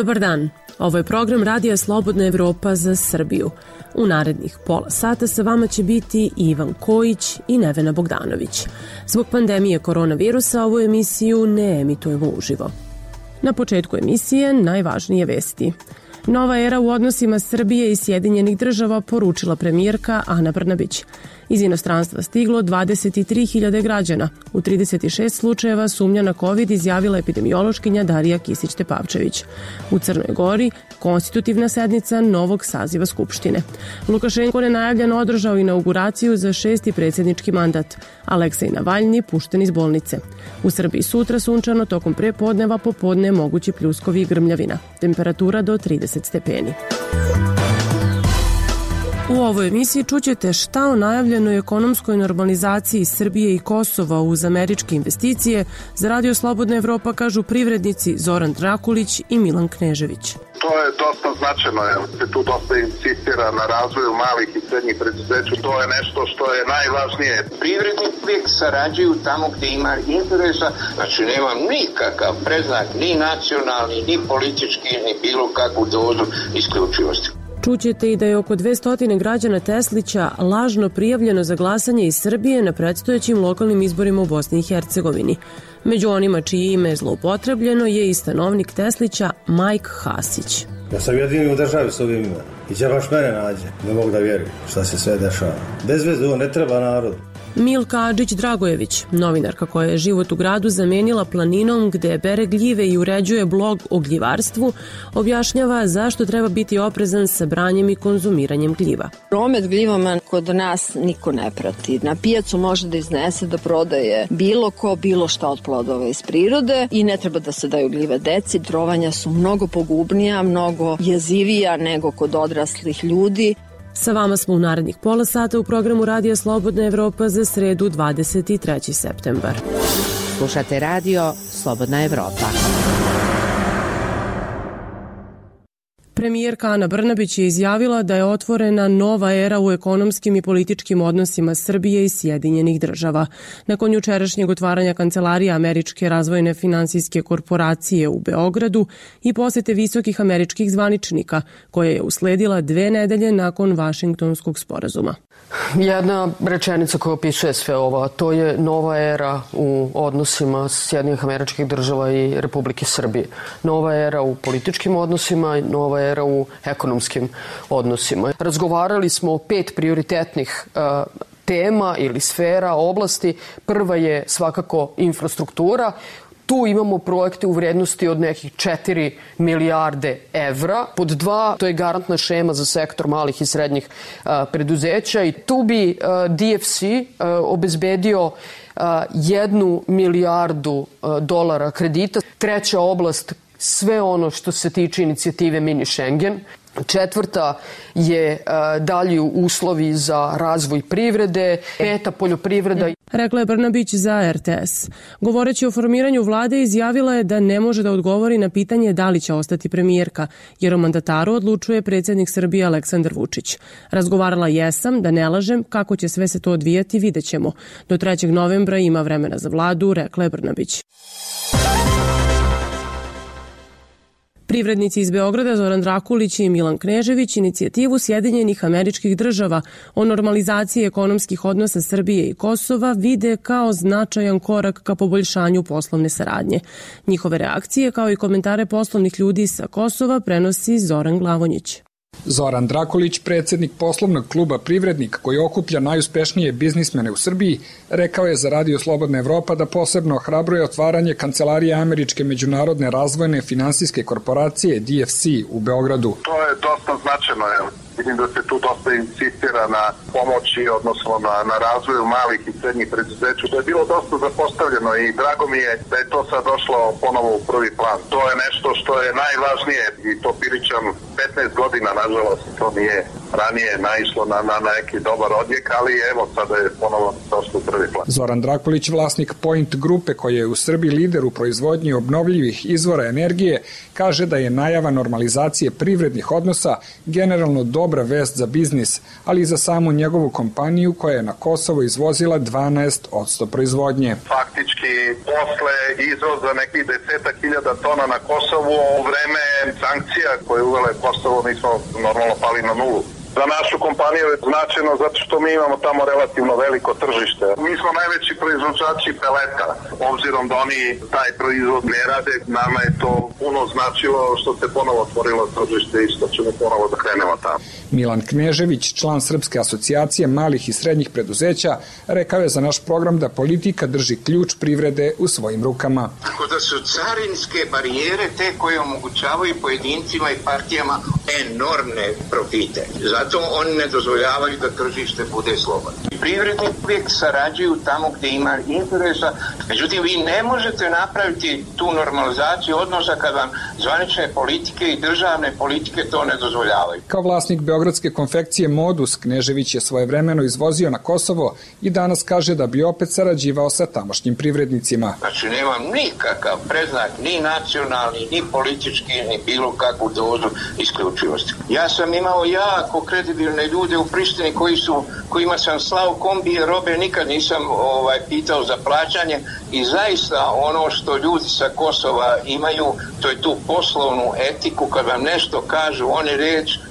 Dobar dan, ovo je program Radija Slobodna Evropa za Srbiju. U narednih pola sata sa vama će biti Ivan Kojić i Nevena Bogdanović. Zbog pandemije koronavirusa ovu emisiju ne emitujemo uživo. Na početku emisije najvažnije vesti. Nova era u odnosima Srbije i Sjedinjenih Država, poručila premijerka Ana Brnabić. Iz inostranstva stiglo 23.000 građana. U 36 slučajeva sumnja na COVID izjavila epidemiološkinja Darija Kisić-Tepavčević. U Crnoj Gori konstitutivna sednica novog saziva Skupštine. Lukašenko nenajavljeno održao inauguraciju za 6. predsjednički mandat. Aleksej Navalni pušten iz bolnice. U Srbiji sutra sunčano, tokom prepodneva, popodne mogući pljuskovi i grmljavina. Temperatura do 30 stepeni. U ovoj emisiji čućete šta o najavljenoj ekonomskoj normalizaciji Srbije i Kosova uz američke investicije. Za Radio Slobodna Evropa kažu privrednici Zoran Drakulić i Milan Knežević. To je dosta značajno, jer se tu dosta insistira na razvoju malih i srednjih preduzeća. To je nešto što je najvažnije. Privrednici uvijek sarađuju tamo gdje ima interesa, znači nema nikakav predznak, ni nacionalni, ni politički, ni bilo kakvu dozu isključivosti. Čućete i da je oko 200 građana Teslića lažno prijavljeno za glasanje iz Srbije na predstojećim lokalnim izborima u Bosni i Hercegovini. Među onima čije ime je zloupotrebljeno je i stanovnik Teslića Majk Hasić. Ja sam jedini u državi s ovim imenom. I će baš mene nađe. Ne mogu da vjerujem šta se sve dešava. Bez veze, ovo ne treba narod. Milka Adžić-Dragojević, novinarka koja je život u gradu zamenila planinom gde bere gljive i uređuje blog o gljivarstvu, objašnjava zašto treba biti oprezan sa branjem i konzumiranjem gljiva. Promet gljivama kod nas niko ne prati. Na pijacu može da iznese da prodaje bilo ko, bilo šta od plodova iz prirode i ne treba da se daju gljive deci. Trovanja su mnogo pogubnija, mnogo jezivija nego kod odraslih ljudi. Sa vama smo u narednih pola sata u programu Radija Slobodna Evropa za sredu 23. septembar. Slušate Radio Slobodna Evropa. Premijerka Ana Brnabić je izjavila da je otvorena nova era u ekonomskim i političkim odnosima Srbije i Sjedinjenih Država. Nakon jučerašnjeg otvaranja kancelarije Američke razvojne finansijske korporacije u Beogradu i posete visokih američkih zvaničnika, koja je usledila 2 nedelje nakon Vašingtonskog sporazuma. Jedna rečenica koja opisuje sve ovo, to je nova era u odnosima Sjedinjenih Američkih Država i Republike Srbije. Nova era u političkim odnosima, nova era u ekonomskim odnosima. Razgovarali smo o 5 prioritetnih tema ili sfera, oblasti. Prva je svakako infrastruktura. Tu imamo projekte u vrednosti od nekih 4 milijarde evra. Pod 2, to je garantna šema za sektor malih i srednjih preduzeća i tu bi DFC obezbedio 1 milijardu dolara kredita. Treća oblast, sve ono što se tiče inicijative Mini Schengen. Četvrta je dalji uslovi za razvoj privrede, 5. poljoprivreda. Rekla je Brnabić za RTS. Govoreći o formiranju vlade, izjavila je da ne može da odgovori na pitanje da li će ostati premijerka, jer o mandataru odlučuje predsjednik Srbije Aleksandar Vučić. Razgovarala jesam, da ne lažem, kako će sve se to odvijati, vidjet ćemo. Do 3. novembra ima vremena za vladu, rekla je Brnabić. Privrednici iz Beograda Zoran Drakulić i Milan Knežević inicijativu Sjedinjenih Američkih Država o normalizaciji ekonomskih odnosa Srbije i Kosova vide kao značajan korak ka poboljšanju poslovne saradnje. Njihove reakcije, kao i komentare poslovnih ljudi sa Kosova, prenosi Zoran Glavonjić. Zoran Drakulić, predsjednik poslovnog kluba Privrednik koji okuplja najuspešnije biznismene u Srbiji, rekao je za Radio Slobodna Evropa da posebno ohrabruje otvaranje kancelarije Američke međunarodne razvojne finansijske korporacije DFC u Beogradu. To je dosta značajno, vidim da se tu dosta insistira na pomoći, odnosno na razvoju malih i srednjih preduzeća. To je bilo dosta zapostavljeno i drago mi je da je to sad došlo ponovo u prvi plan. To je nešto što je najvažnije i to pričam 15 godina, nažalost, to nije ranije naišlo na neki dobar odjek, ali evo sada je ponovo došlo u prvi plan. Zoran Drakulić, vlasnik Point grupe koja je u Srbiji lider u proizvodnji obnovljivih izvora energije, kaže da je najava normalizacije privrednih odnosa generalno dobra vest za biznis, ali i za samu njegovu kompaniju koja je na Kosovo izvozila 12% proizvodnje. Faktički, posle izvoza nekih 10.000 tona na Kosovo, u vreme sankcija koje uvele Kosovo, mi smo normalno pali na nulu. Za našu kompaniju je značajno zato što mi imamo tamo relativno veliko tržište. Mi smo najveći proizvođači peleta. Obzirom da oni taj proizvod ne rade, nama je to puno značilo što se ponovo otvorilo tržište i što ćemo ponovo da krenemo tamo. Milan Knežević, član Srpske asocijacije malih i srednjih preduzeća, rekao je za naš program da politika drži ključ privrede u svojim rukama. Tako da su carinske barijere te koje omogućavaju pojedincima i partijama enormne profite. Zato oni ne dozvoljavaju da tržište bude slobodno. Privredni uvijek sarađuju tamo gdje ima interesa, međutim vi ne možete napraviti tu normalizaciju odnosa kad vam zvanične politike i državne politike to ne dozvoljavaju. Kao vlasnik beogradske konfekcije Modus, Knežević je svojevremeno izvozio na Kosovo i danas kaže da bi opet sarađivao sa tamošnjim privrednicima. Znači nemam nikakav predznak, ni nacionalni, ni politički, ni bilo kakvu dozu isključivosti. Ja sam imao jako kredibilne ljude u Prištini kojima sam slao kombije robe, nikad nisam pitao za plaćanje i zaista ono što ljudi sa Kosova imaju, to je tu poslovnu etiku, kad vam nešto kažu, oni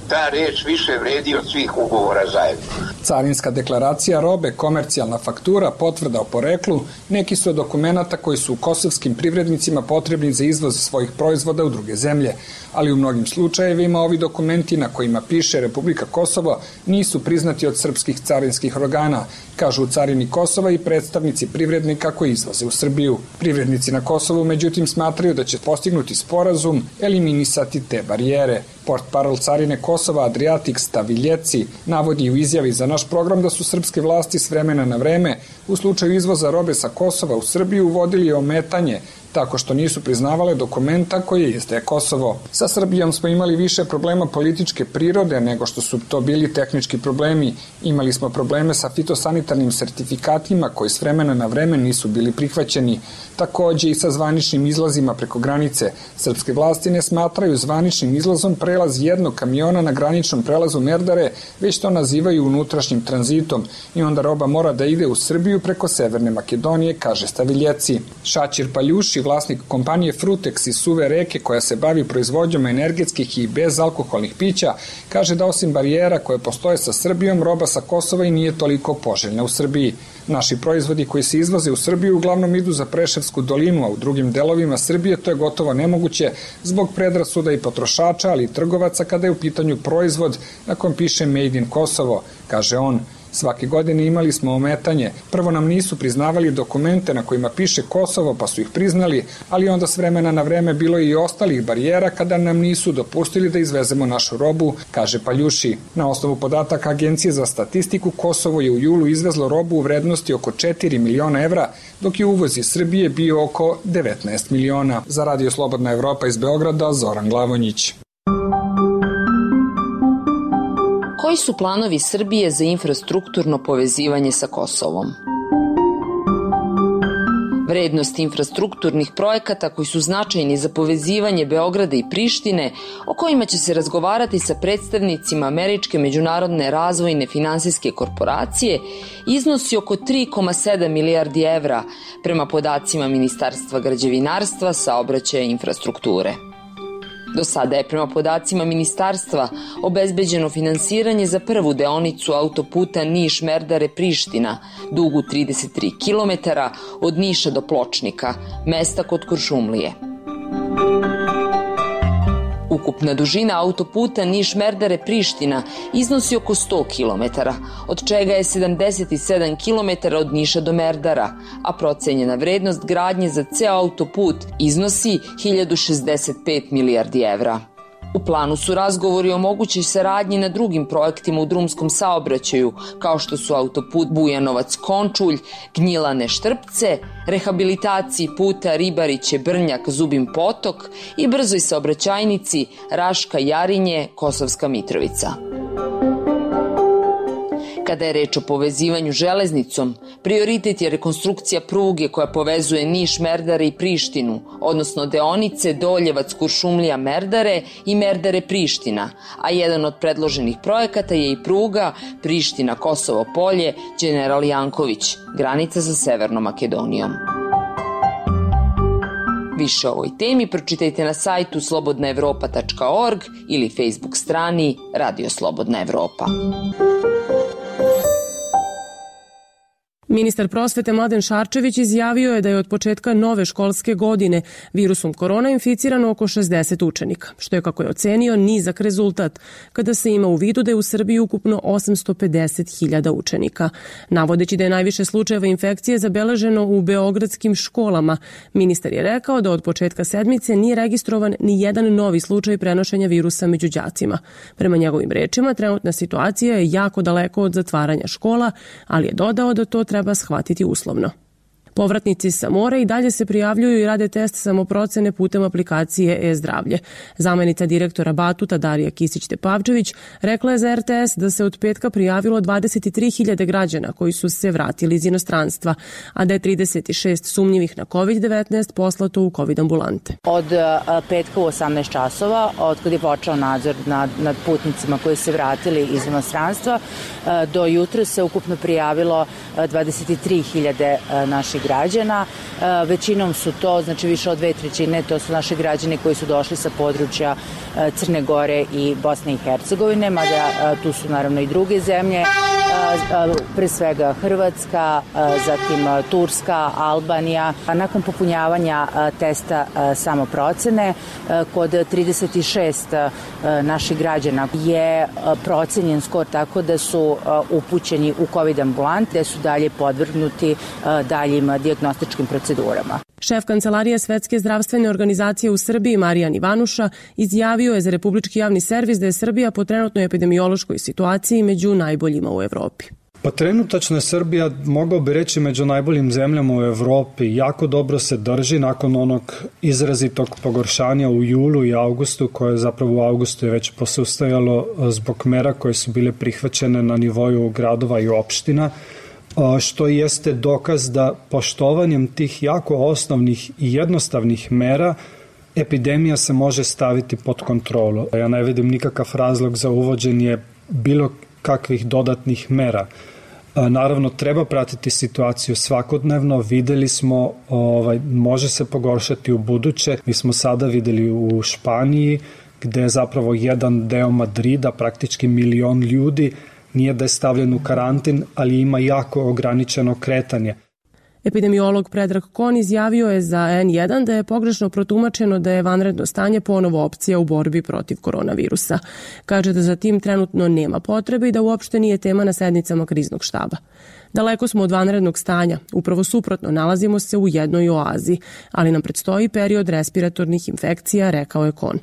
ta reč više vredi od svih ugovora zajedno. Carinska deklaracija robe, komercijalna faktura, potvrda o poreklu, neki su od dokumenta koji su kosovskim privrednicima potrebni za izvoz svojih proizvoda u druge zemlje, ali u mnogim slučajevima ovi dokumenti na kojima piše Republika Kosovo nisu priznati od srpskih carinskih organa, kažu u carini Kosova i predstavnici privrednika koji izvoze u Srbiju. Privrednici na Kosovu međutim smatraju da će postignuti sporazum eliminisati te barijere. Portparol carine Kosova Adriatik Staviljeci navodi u izjavi za naš program da su srpske vlasti s vremena na vreme u slučaju izvoza robe sa Kosova u Srbiju uvodili ometanje tako što nisu priznavale dokumenta koje izdaje Kosovo. Sa Srbijom smo imali više problema političke prirode nego što su to bili tehnički problemi. Imali smo probleme sa fitosanitarnim sertifikatima koji s vremena na vreme nisu bili prihvaćeni. Takođe i sa zvaničnim izlazima preko granice. Srpske vlasti ne smatraju zvaničnim izlazom prelaz jednog kamiona na graničnom prelazu Merdare, već to nazivaju unutrašnjim tranzitom i onda roba mora da ide u Srbiju preko Severne Makedonije, kaže Staviljeci. Šačir Paljuši, vlasnik kompanije Frutex iz Suve Reke koja se bavi proizvodnjom energetskih i bezalkoholnih pića, kaže da osim barijera koje postoje sa Srbijom, roba sa Kosova i nije toliko poželjna u Srbiji. Naši proizvodi koji se izvoze u Srbiju uglavnom idu za Preševsku dolinu, a u drugim delovima Srbije to je gotovo nemoguće zbog predrasuda i potrošača, ali i trgovaca kada je u pitanju proizvod na kom piše Made in Kosovo, kaže on. Svake godine imali smo ometanje. Prvo nam nisu priznavali dokumente na kojima piše Kosovo, pa su ih priznali, ali onda s vremena na vreme bilo je i ostalih barijera kada nam nisu dopustili da izvezemo našu robu, kaže Paljuši. Na osnovu podataka Agencije za statistiku, Kosovo je u julu izvezlo robu u vrednosti oko 4 miliona evra, dok je uvoz iz Srbije bio oko 19 miliona. Za Radio Slobodna Evropa iz Beograda, Zoran Glavonjić. Koji su planovi Srbije za infrastrukturno povezivanje sa Kosovom? Vrednost infrastrukturnih projekata koji su značajni za povezivanje Beograda i Prištine, o kojima će se razgovarati sa predstavnicima Američke međunarodne razvojne finansijske korporacije, iznosi oko 3,7 milijardi evra prema podacima Ministarstva građevinarstva, saobraćaja i infrastrukture. Do sada je prema podacima ministarstva obezbeđeno finansiranje za prvu deonicu autoputa Niš-Merdare-Priština, dugu 33 km od Niša do Pločnika, mesta kod Kuršumlije. Ukupna dužina autoputa Niš-Merdare-Priština iznosi oko 100 km, od čega je 77 km od Niša do Merdara, a procenjena vrednost gradnje za ceo autoput iznosi 1065 milijardi evra. U planu su razgovori o mogućoj saradnji na drugim projektima u drumskom saobraćaju, kao što su autoput Bujanovac-Končulj, Gnjilane-Štrpce, rehabilitaciji puta Ribariće-Brnjak-Zubin Potok i brzoj saobraćajnici Raška-Jarinje-Kosovska Mitrovica. Kada je reč o povezivanju železnicom, prioritet je rekonstrukcija pruge koja povezuje Niš, Merdare i Prištinu, odnosno deonice Doljevac-Kuršumlija, Merdare i Merdare-Priština, a jedan od predloženih projekata je i pruga Priština-Kosovo polje, General Janković, granica sa Severnom Makedonijom. Više o ovoj temi pročitajte na sajtu slobodnaevropa.org ili Facebook strani Radio Slobodna Evropa. Ministar prosvete Mladen Šarčević izjavio je da je od početka nove školske godine virusom korona inficirano oko 60 učenika, što je, kako je ocenio, nizak rezultat, kada se ima u vidu da je u Srbiji ukupno 850.000 učenika. Navodeći da je najviše slučajeva infekcije zabeleženo u beogradskim školama, ministar je rekao da od početka sedmice nije registrovan ni jedan novi slučaj prenošenja virusa među đacima. Prema njegovim rečima, trenutna situacija je jako daleko od zatvaranja škola, ali je dodao da to treba shvatiti uslovno. Povratnici sa mora i dalje se prijavljuju i rade test samoprocene putem aplikacije e-zdravlje. Zamenica direktora Batuta Darija Kisić-Tepavčević rekla je za RTS da se od petka prijavilo 23.000 građana koji su se vratili iz inostranstva, a da je 36 sumnjivih na COVID-19 poslato u COVID ambulante. Od petka u 18 časova, od kada je počeo nadzor nad putnicima koji se vratili iz inostranstva, do jutra se ukupno prijavilo 23.000 naših građana. Većinom su to, znači više od 2/3, to su naši građani koji su došli sa područja Crne Gore i Bosne i Hercegovine, mada tu su naravno i druge zemlje, pre svega Hrvatska, zatim Turska, Albanija. Nakon popunjavanja testa samoprocene, kod 36 naših građana je procenjen skor tako da su upućeni u COVID ambulant, gde su dalje podvrgnuti daljim dijagnostičkim procedurama. Šef Kancelarije Svetske zdravstvene organizacije u Srbiji, Marijan Ivanuša, izjavio je za Republički javni servis da je Srbija po trenutnoj epidemiološkoj situaciji među najboljima u Evropi. Pa trenutačno je Srbija, mogao bi reći, među najboljim zemljama u Evropi. Jako dobro se drži nakon onog izrazitog pogoršanja u julu i avgustu, koje zapravo u avgustu je već posustajalo zbog mera koje su bile prihvaćene na nivoju gradova i opština, što jeste dokaz da poštovanjem tih jako osnovnih i jednostavnih mera epidemija se može staviti pod kontrolu. Ja ne vidim nikakav razlog za uvođenje bilo kakvih dodatnih mera. Naravno, treba pratiti situaciju svakodnevno, videli smo, može se pogoršati u buduće. Mi smo sada videli u Španiji, gde je zapravo jedan deo Madrida, praktički 1 milion ljudi, nije da je stavljen u karantin, ali ima jako ograničeno kretanje. Epidemiolog Predrag Kon izjavio je za N1 da je pogrešno protumačeno da je vanredno stanje ponovo opcija u borbi protiv koronavirusa. Kaže da za tim trenutno nema potrebe i da uopšte nije tema na sednicama kriznog štaba. Daleko smo od vanrednog stanja, upravo suprotno, nalazimo se u jednoj oazi, ali nam predstoji period respiratornih infekcija, rekao je Kon.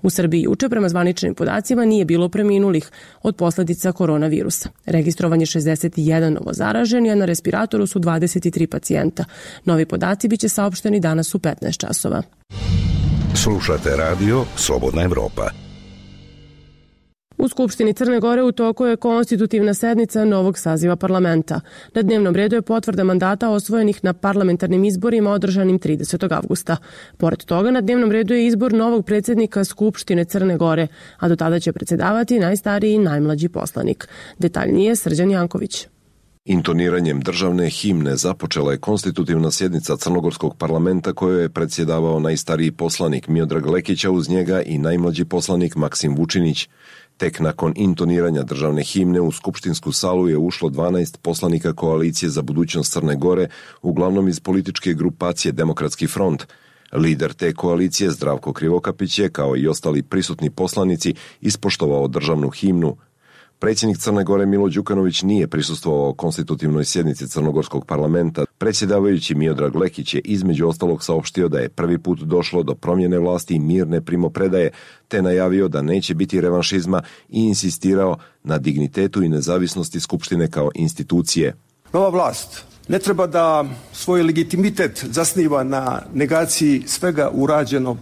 U Srbiji juče, prema zvaničnim podacima, nije bilo preminulih od posledica koronavirusa. Registrovan je 61 novozaraženi, a na respiratoru su 23 pacijenta. Novi podaci biće saopšteni danas u 15 časova. Slušate radio Slobodna Evropa. U Skupštini Crne Gore u toku je konstitutivna sednica novog saziva parlamenta. Na dnevnom redu je potvrda mandata osvojenih na parlamentarnim izborima održanim 30. avgusta. Pored toga, na dnevnom redu je izbor novog predsjednika Skupštine Crne Gore, a do tada će predsjedavati najstariji i najmlađi poslanik. Detaljnije Srđan Janković. Intoniranjem državne himne započela je konstitutivna sjednica Crnogorskog parlamenta kojoj je predsjedavao najstariji poslanik Miodrag Lekić, a uz njega i najmlađi poslanik Maksim Vučinić. Tek nakon intoniranja državne himne u skupštinsku salu je ušlo 12 poslanika koalicije za budućnost Crne Gore, uglavnom iz političke grupacije Demokratski front. Lider te koalicije Zdravko Krivokapić je, kao i ostali prisutni poslanici, ispoštovao državnu himnu. Predsjednik Crne Gore Milo Đukanović nije prisustvovao konstitutivnoj sjednici Crnogorskog parlamenta. Predsjedavajući Miodrag Lekić je između ostalog saopštio da je prvi put došlo do promjene vlasti i mirne primopredaje, te najavio da neće biti revanšizma i insistirao na dignitetu i nezavisnosti Skupštine kao institucije. Nova vlast ne treba da svoj legitimitet zasniva na negaciji svega urađeno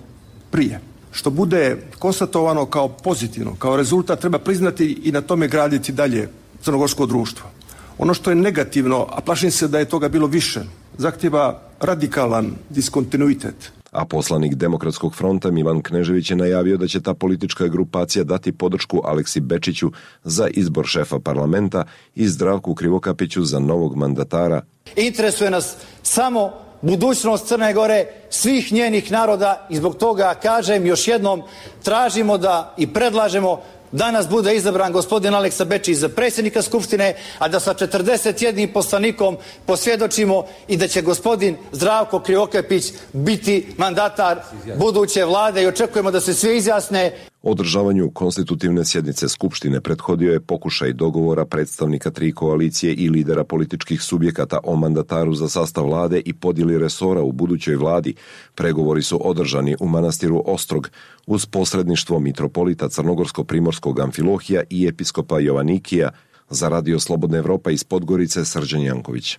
prije. Što bude konstatovano kao pozitivno, kao rezultat, treba priznati i na tome graditi dalje crnogorsko društvo. Ono što je negativno, a plašim se da je toga bilo više, zahtjeva radikalan diskontinuitet. A poslanik Demokratskog fronta Milan Knežević je najavio da će ta politička grupacija dati podršku Aleksi Bečiću za izbor šefa parlamenta i Zdravku Krivokapiću za novog mandatara. Interesuje nas samo budućnost Crne Gore, svih njenih naroda i zbog toga kažem još jednom, tražimo da i predlažemo danas bude izabran gospodin Aleksa Bečić za predsjednika Skupštine, a da sa 41 poslanikom posvjedočimo i da će gospodin Zdravko Krivokapić biti mandatar buduće vlade i očekujemo da se svi izjasne. Održavanju konstitutivne sjednice Skupštine prethodio je pokušaj dogovora predstavnika 3 koalicije i lidera političkih subjekata o mandataru za sastav vlade i podjeli resora u budućoj vladi. Pregovori su održani u manastiru Ostrog uz posredništvo mitropolita Crnogorsko-Primorskog Amfilohija i episkopa Jovanikija. Za Radio Slobodna Evropa iz Podgorice, Srđan Janković.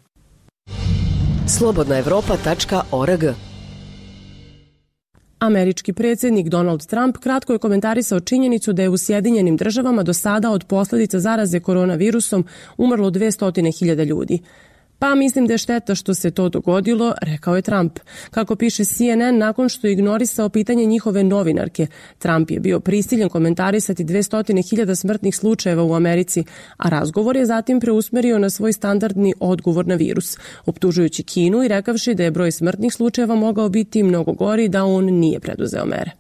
slobodnaevropa.org. Američki predsjednik Donald Trump kratko je komentarisao činjenicu da je u Sjedinjenim Državama do sada od posljedica zaraze koronavirusom umrlo 200.000 ljudi. Pa mislim da je šteta što se to dogodilo, rekao je Trump. Kako piše CNN, nakon što je ignorisao pitanje njihove novinarke, Trump je bio prisiljen komentarisati 200.000 smrtnih slučajeva u Americi, a razgovor je zatim preusmerio na svoj standardni odgovor na virus, optužujući Kinu i rekavši da je broj smrtnih slučajeva mogao biti mnogo gori da on nije preduzeo mere.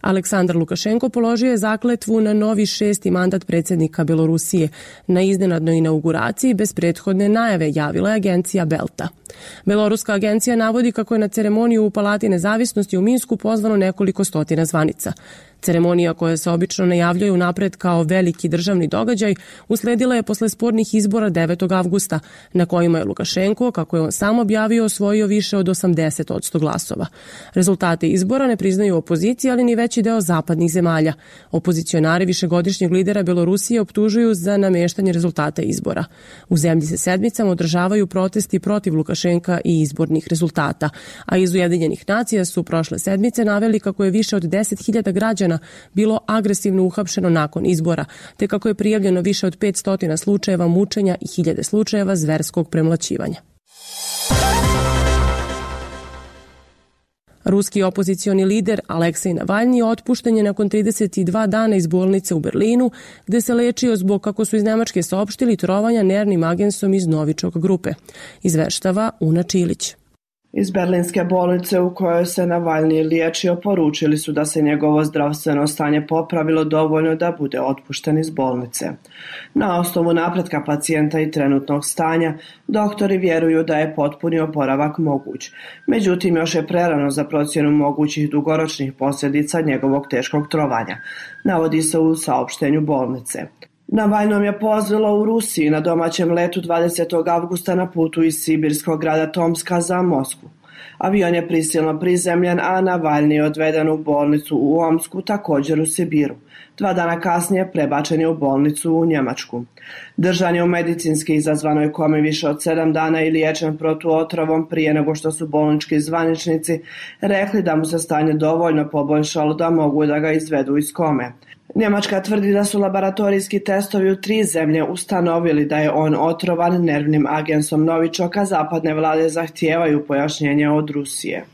Aleksandar Lukašenko položio je zakletvu na novi 6. mandat predsjednika Belorusije. Na iznenadnoj inauguraciji bez prethodne najave javila je agencija Belta. Beloruska agencija navodi kako je na ceremoniju u Palati Nezavisnosti u Minsku pozvano nekoliko stotina zvanica. Ceremonija koja se obično najavljuje unapred kao veliki državni događaj usledila je posle spornih izbora 9. avgusta, na kojima je Lukašenko, kako je on sam objavio, osvojio više od 80% glasova. Rezultate izbora ne priznaju opozicija, ali ni veći deo zapadnih zemalja. Opozicionari višegodišnjeg lidera Belorusije optužuju za nameštanje rezultata izbora. U zemlji se sedmicama održavaju protesti protiv Lukašenka i izbornih rezultata, a iz Ujedinjenih nacija su prošle sedmice naveli kako je više od 10.000 građana bilo agresivno uhapšeno nakon izbora, te kako je prijavljeno više od 500 slučajeva mučenja i 1000 slučajeva zverskog premlaćivanja. Ruski opozicioni lider Aleksej Navalni otpušten je nakon 32 dana iz bolnice u Berlinu, gde se lečio zbog, kako su iz Nemačke saopštili, trovanja nervnim agensom iz Novičok grupe. Izveštava Una Čilić. Iz berlinske bolnice u kojoj se Navalni liječio poručili su da se njegovo zdravstveno stanje popravilo dovoljno da bude otpušten iz bolnice. Na osnovu napretka pacijenta i trenutnog stanja, doktori vjeruju da je potpuni oporavak moguć. Međutim, još je prerano za procjenu mogućih dugoročnih posljedica njegovog teškog trovanja, navodi se u saopštenju bolnice. Navalnom je pozvalo u Rusiji na domaćem letu 20. avgusta na putu iz sibirskog grada Tomska za Moskvu. Avion je prisilno prizemljen, a Navalni je odveden u bolnicu u Omsku, također u Sibiru. 2 dana kasnije prebačen je u bolnicu u Njemačku. Držan je u medicinski izazvanoj komi više od 7 dana i liječen protuotrovom prije nego što su bolnički zvaničnici rekli da mu se stanje dovoljno poboljšalo da mogu da ga izvedu iz kome. Njemačka tvrdi da su laboratorijski testovi u 3 zemlje ustanovili da je on otrovan nervnim agensom Novičoka, zapadne vlade zahtijevaju pojašnjenje od Rusije.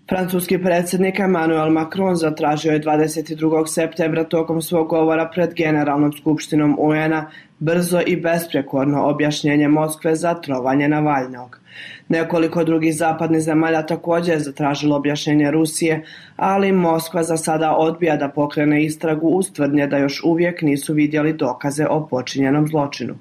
Francuski predsjednik Emmanuel Macron zatražio je 22. septembra tokom svog govora pred Generalnom skupštinom UN-a brzo i besprekorno objašnjenje Moskve za trovanje Navalnog. Nekoliko drugih zapadnih zemalja također je zatražilo objašnjenje Rusije, ali Moskva za sada odbija da pokrene istragu uz tvrdnje da još uvijek nisu vidjeli dokaze o počinjenom zločinu.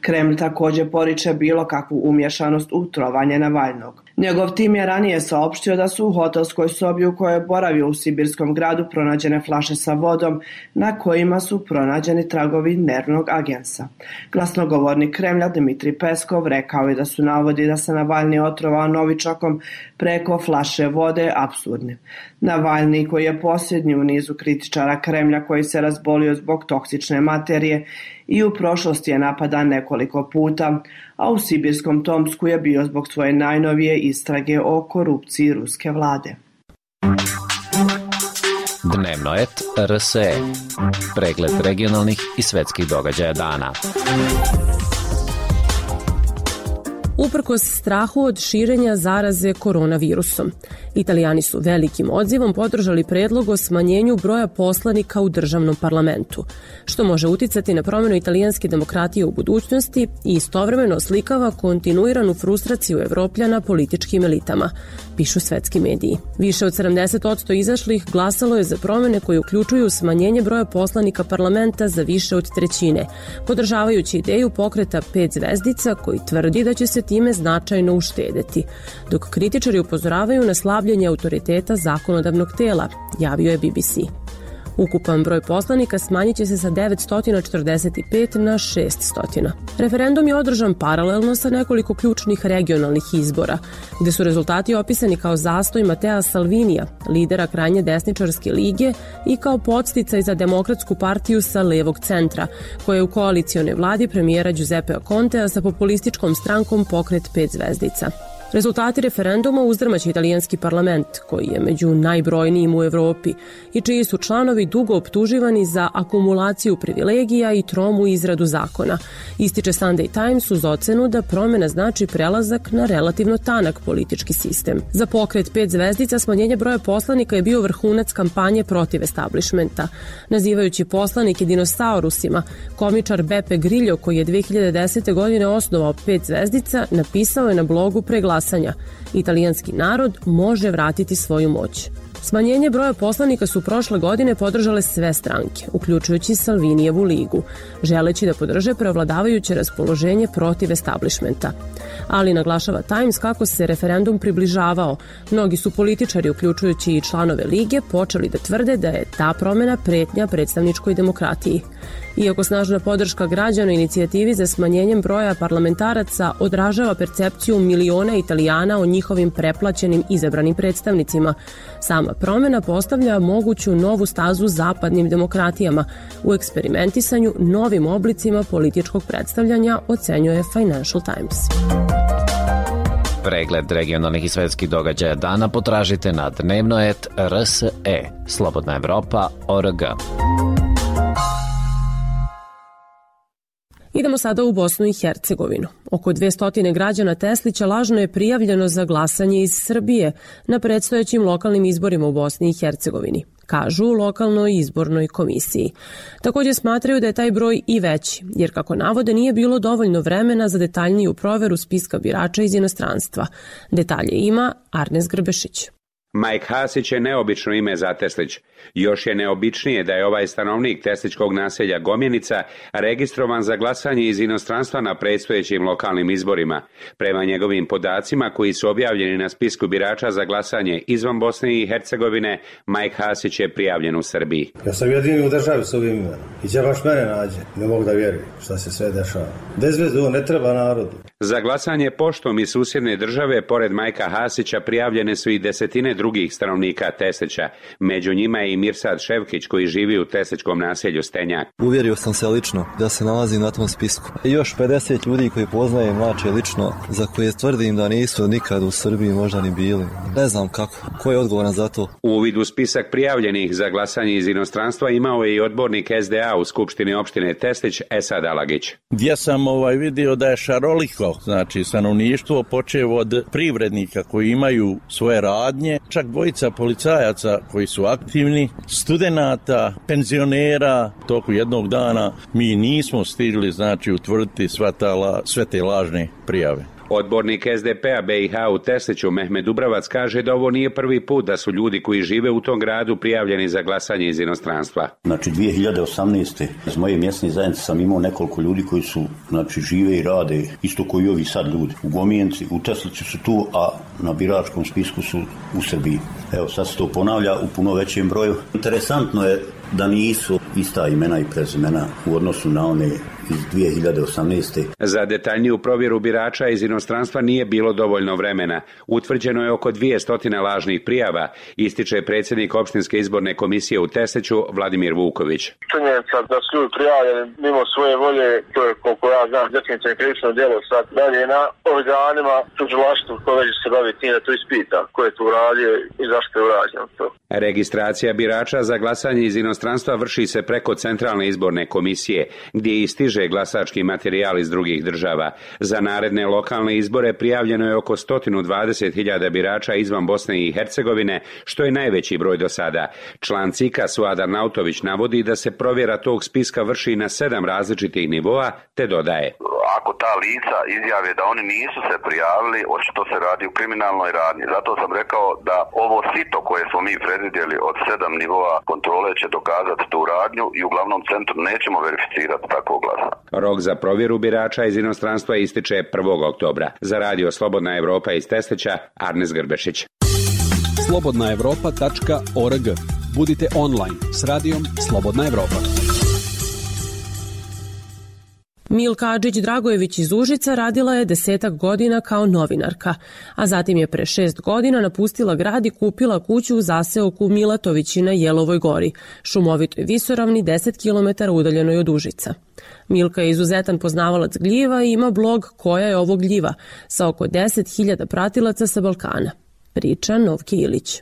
Kreml također poriče bilo kakvu umješanost u trovanje Navalnog. Njegov tim je ranije saopštio da su u hotelskoj sobi u kojoj je boravio u sibirskom gradu pronađene flaše sa vodom na kojima su pronađeni tragovi nervnog agensa. Glasnogovornik Kremlja Dmitrij Peskov rekao je da su navodi da se Navalni otrovao Novičokom preko flaše vode apsurdni. Navalni, koji je posljednji u nizu kritičara Kremlja koji se razbolio zbog toksične materije i u prošlosti je napadan nekoliko puta, a u sibirskom Tomsku je bio zbog svoje najnovije istrage o korupciji ruske vlade. Dnevnoet RSE. Pregled regionalnih i svetskih događaja dana. Uprkos strahu od širenja zaraze koronavirusom, Italijani su velikim odzivom podržali predlog o smanjenju broja poslanika u državnom parlamentu, što može uticati na promjenu italijanske demokratije u budućnosti i istovremeno oslikava kontinuiranu frustraciju Evropljana političkim elitama, pišu svetski mediji. Više od 70% izašlih glasalo je za promjene koje uključuju smanjenje broja poslanika parlamenta za više od trećine, podržavajući ideju pokreta 5 zvezdica koji tvrdi da će se time značajno uštedeti, dok kritičari upozoravaju na slabljenje autoriteta zakonodavnog tela, javio je BBC. Ukupan broj poslanika smanjit će se sa 945 na 600. Referendum je održan paralelno sa nekoliko ključnih regionalnih izbora, gde su rezultati opisani kao zastoj Matea Salvinija, lidera krajnje desničarske lige, i kao podsticaj za demokratsku partiju sa levog centra, koja je u koalicionoj vladi premijera Giuseppea Contea sa populističkom strankom Pokret 5 zvezdica. Rezultati referenduma uzdrmaće italijanski parlament, koji je među najbrojnijim u Evropi i čiji su članovi dugo optuživani za akumulaciju privilegija i tromu izradu zakona, ističe Sunday Times uz ocenu da promjena znači prelazak na relativno tanak politički sistem. Za Pokret 5 zvezdica smanjenje broja poslanika je bio vrhunac kampanje protiv establishmenta. Nazivajući poslanike dinosaurusima, komičar Beppe Grillo, koji je 2010. godine osnovao 5 zvezdica, napisao je na blogu pre glasanja: italijanski narod može vratiti svoju moć. Smanjenje broja poslanika su prošle godine podržale sve stranke, uključujući Salvinijevu ligu, želeći da podrže preovladavajuće raspoloženje protiv establishmenta. Ali naglašava Times kako se referendum približavao, mnogi su političari, uključujući i članove lige, počeli da tvrde da je ta promjena pretnja predstavničkoj demokratiji. Iako snažna podrška građana inicijativi za smanjenjem broja parlamentaraca odražava percepciju miliona Italijana o njihovim preplaćenim izabranim predstavnicima, sama promjena postavlja moguću novu stazu zapadnim demokratijama u eksperimentisanju novim oblicima političkog predstavljanja, ocenjuje Financial Times. Pregled regionalnih i svetskih događaja dana potražite na Dnevnoet RSE, Slobodna Evropa.org. Idemo sada u Bosnu i Hercegovinu. Oko 200 građana Teslića lažno je prijavljeno za glasanje iz Srbije na predstojećim lokalnim izborima u Bosni i Hercegovini, kažu u lokalnoj izbornoj komisiji. Također smatraju da je taj broj i veći, jer kako navode nije bilo dovoljno vremena za detaljniju proveru spiska birača iz inostranstva. Detalje ima Arnes Grbešić. Mike Hasić je neobično ime za Teslić. Još je neobičnije da je ovaj stanovnik tesličkog naselja Gomjenica registrovan za glasanje iz inostranstva na predstojećim lokalnim izborima. Prema njegovim podacima koji su objavljeni na spisku birača za glasanje izvan Bosne i Hercegovine, Mike Hasić je prijavljen u Srbiji. Ja sam jedini u državi s ovim imenom. I će baš mene nađe. Ne mogu da vjerujem šta se sve dešava. Bez veze, ovo ne treba narodu. Za glasanje poštom iz susjedne države, pored Majka Hasića, prijavljene su i desetine drugih stanovnika Teslića. Među njima je i Mirsad Ševkić, koji živi u tesličkom naselju Stenjak. Uvjerio sam se lično da se nalazim na tom spisku. I još 50 ljudi koji poznajem mlače lično, za koje tvrdim da nisu nikad u Srbiji možda ni bili. Ne znam kako. Ko je odgovoran za to? Uvid u spisak prijavljenih za glasanje iz inostranstva imao je i odbornik SDA u Skupštini opštine Teslić, Esad Alagić. Gdje sam vidio da je šaroliko, znači stanovništvo, počev od privrednika koji imaju svoje radnje, čak dvojica policajaca koji su aktivni, studenata, penzionera. Toku jednog dana mi nismo stigli, znači, utvrditi sve te lažne prijave. Odbornik SDP-a BiH u Tesliću Mehmed Dubravac kaže da ovo nije prvi put da su ljudi koji žive u tom gradu prijavljeni za glasanje iz inostranstva. Znači 2018. iz moje mjesne zajednice sam imao nekoliko ljudi koji su, znači, žive i rade isto koji ovi sad ljudi. U Gomijenci, u Tesliću su tu, a na biračkom spisku su u Srbiji. Evo, sad se to ponavlja u puno većem broju. Interesantno je da nisu ista imena i prezimena u odnosu na one iz 2018. Za detaljniju provjeru birača iz inostranstva nije bilo dovoljno vremena. Utvrđeno je oko 200 lažnih prijava, ističe predsjednik opštinske izborne komisije u Tesliću Vladimir Vuković. Činjenica da su ljudi prijavljeni mimo svoje volje, to je, koliko ja znam, definitivno krivično djelo. Sad dalje na organima tužilaštvu koje se bavi tim da to ispita, ko je tu uradio i zašto je urađeno to. Registracija birača za glasanje iz inostranstva vrši se preko Centralne izborne komisije, gdje i stiže glasački materijal iz drugih država. Za naredne lokalne izbore prijavljeno je oko 120.000 birača izvan Bosne i Hercegovine, što je najveći broj do sada. Član CIK-a Suadar Nautović navodi da se provjera tog spiska vrši na 7 različitih nivoa, te dodaje: ako ta lica izjave da oni nisu se prijavili, očito se radi u kriminalnoj radnji. Zato sam rekao da ovo sito koje smo mi predvidjeli od 7 nivoa kontrole će dokazati tu radnju i u glavnom centru nećemo verificirati takvo glasa. Rok za provjeru birača iz inostranstva ističe 1. oktobra. Za radio Slobodna Evropa iz Testeća, Arnes Grbešić. slobodnaevropa.org. Budite online s radijom Slobodna Evropa. Milka Adžić-Dragojević iz Užica radila je 10 godina kao novinarka, a zatim je pre 6 godina napustila grad i kupila kuću u zaseoku Milatovići na Jelovoj gori, šumovitoj visoravni 10 km udaljenoj od Užica. Milka je izuzetan poznavalac gljiva i ima blog Koja je ovo gljiva, sa oko 10.000 pratilaca sa Balkana. Priča Novke Ilić.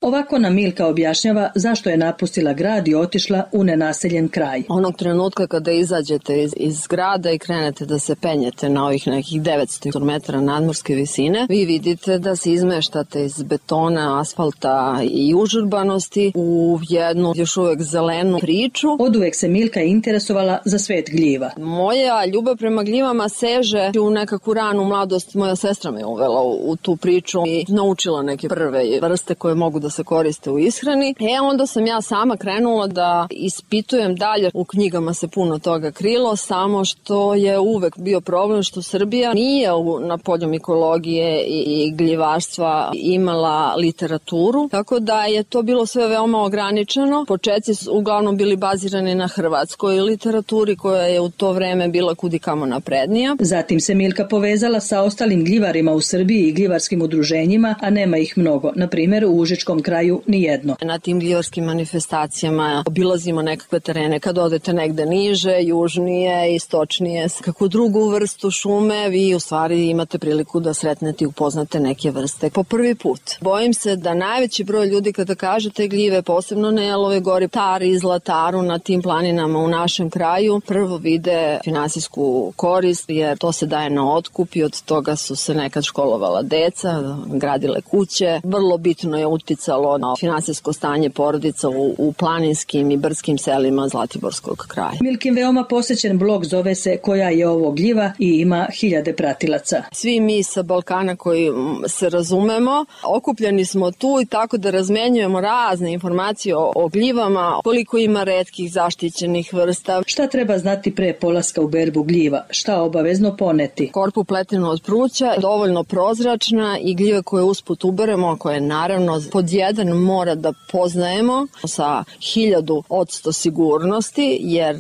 Ovako nam Milka objašnjava zašto je napustila grad i otišla u nenaseljen kraj. Onog trenutka kada izađete iz grada i krenete da se penjete na ovih nekih 900 metara nadmorske visine, vi vidite da se izmeštate iz betona, asfalta i užurbanosti u jednu još uvek zelenu priču. Oduvek se Milka interesovala za svet gljiva. Moja ljubav prema gljivama seže u nekakvu ranu mladost. Moja sestra me uvela u tu priču i naučila neke prve vrste koje mogu da se koriste u ishrani. Onda sam ja sama krenula da ispitujem dalje. U knjigama se puno toga krilo, samo što je uvek bio problem što Srbija nije na polju mikologije i gljivarstva imala literaturu, tako da je to bilo sve veoma ograničeno. Početci su uglavnom bili bazirani na hrvatskoj literaturi koja je u to vreme bila kudikamo naprednija. Zatim se Milka povezala sa ostalim gljivarima u Srbiji i gljivarskim udruženjima, a nema ih mnogo. Na primjer, u Užičkom kraju nijedno. Na tim gljivarskim manifestacijama obilazimo nekakve terene. Kad odete negde niže, južnije, istočnije, kakvu drugu vrstu šume, vi u stvari imate priliku da sretnete i upoznate neke vrste po prvi put. Bojim se da najveći broj ljudi kada kažete gljive, posebno na Jelovoj gori, Tari i Zlataru, na tim planinama u našem kraju, prvo vide finansijsku korist, jer to se daje na otkup i od toga su se nekad školovala deca, gradile kuće. Vrlo bitno je uticalo na finansijsko stanje porodica u planinskim i brdskim selima Zlatiborskog kraja. Milkin veoma posećen blog zove se Koja je ovo gljiva i ima 1000 pratilaca. Svi mi sa Balkana koji se razumemo, okupljeni smo tu i tako da razmenjujemo razne informacije o gljivama, koliko ima retkih zaštićenih vrsta. Šta treba znati pre polaska u berbu gljiva? Šta obavezno poneti? Korpu pletenu od pruća, dovoljno prozračna i gljive koje usput uberemo, koje naravno pod jedan mora da poznajemo sa 1000% sigurnosti, jer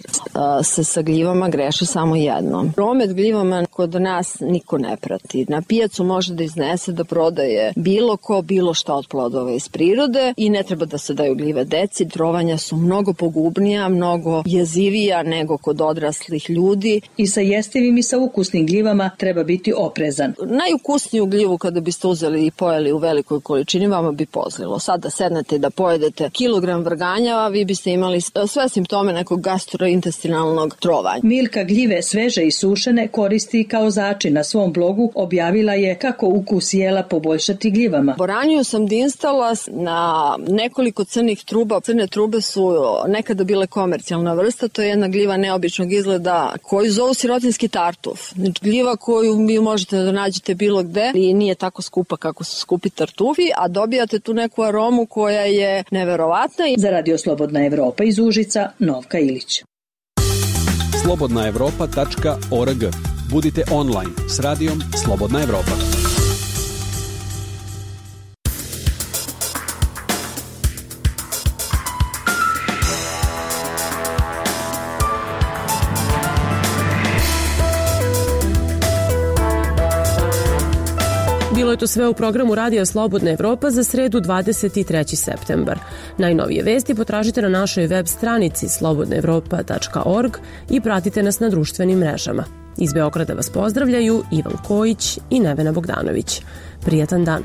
se sa gljivama greši samo jednom. Promet gljivama kod nas niko ne prati. Na pijacu može da iznese da prodaje bilo ko, bilo šta od plodova iz prirode i ne treba da se daju gljive deci. Trovanja su mnogo pogubnija, mnogo jezivija nego kod odraslih ljudi. I sa jestivim i sa ukusnim gljivama treba biti oprezan. Najukusniju gljivu kada biste uzeli i pojeli u velikoj količini vama bi pozlilo. Sad da sednete da pojedete kilogram vrganjava, vi biste imali sve simptome nekog gastrointestinalnog trovanja. Milka gljive sveže i sušene koristi kao začin. Na svom blogu objavila je kako ukus jela poboljšati gljivama. Boraniju sam dinstala na nekoliko crnih truba. Crne trube su nekada bile komercijalna vrsta, to je jedna gljiva neobičnog izgleda koju zovu sirotinski tartuf. Znači, gljiva koju vi možete da nađete bilo gde i nije tako skupa kako su skupi tartufi, a dobijate tu neku aromu koja je neverovatna. Za radio Slobodna Evropa iz Užica, Novka Ilić. slobodnaevropa.org. Budite online s radijom Slobodna Evropa. Bilo je to sve u programu Radija Slobodna Evropa za sredu 23. septembar. Najnovije vesti potražite na našoj web stranici slobodnaevropa.org i pratite nas na društvenim mrežama. Iz Beograda vas pozdravljaju Ivan Kojić i Nevena Bogdanović. Prijatan dan.